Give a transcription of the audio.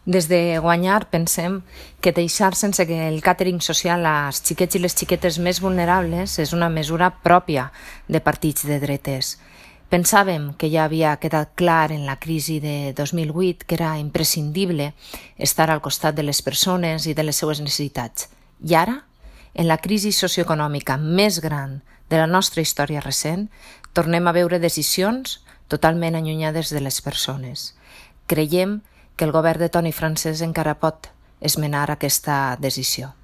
Des de Guanyar pensem que deixar sense que el càtering social als xiquets i les xiquetes més vulnerables és una mesura pròpia de partits de dretes. Pensàvem que ja havia quedat clar en la crisi de 2008 que era imprescindible estar al costat de les persones i de les seues necessitats. I ara, en la crisi socioeconòmica més gran de la nostra història recent, tornem a veure decisions totalment allunyades de les persones. Creiem que el govern de Toni Francesc encara pot esmenar aquesta decisió.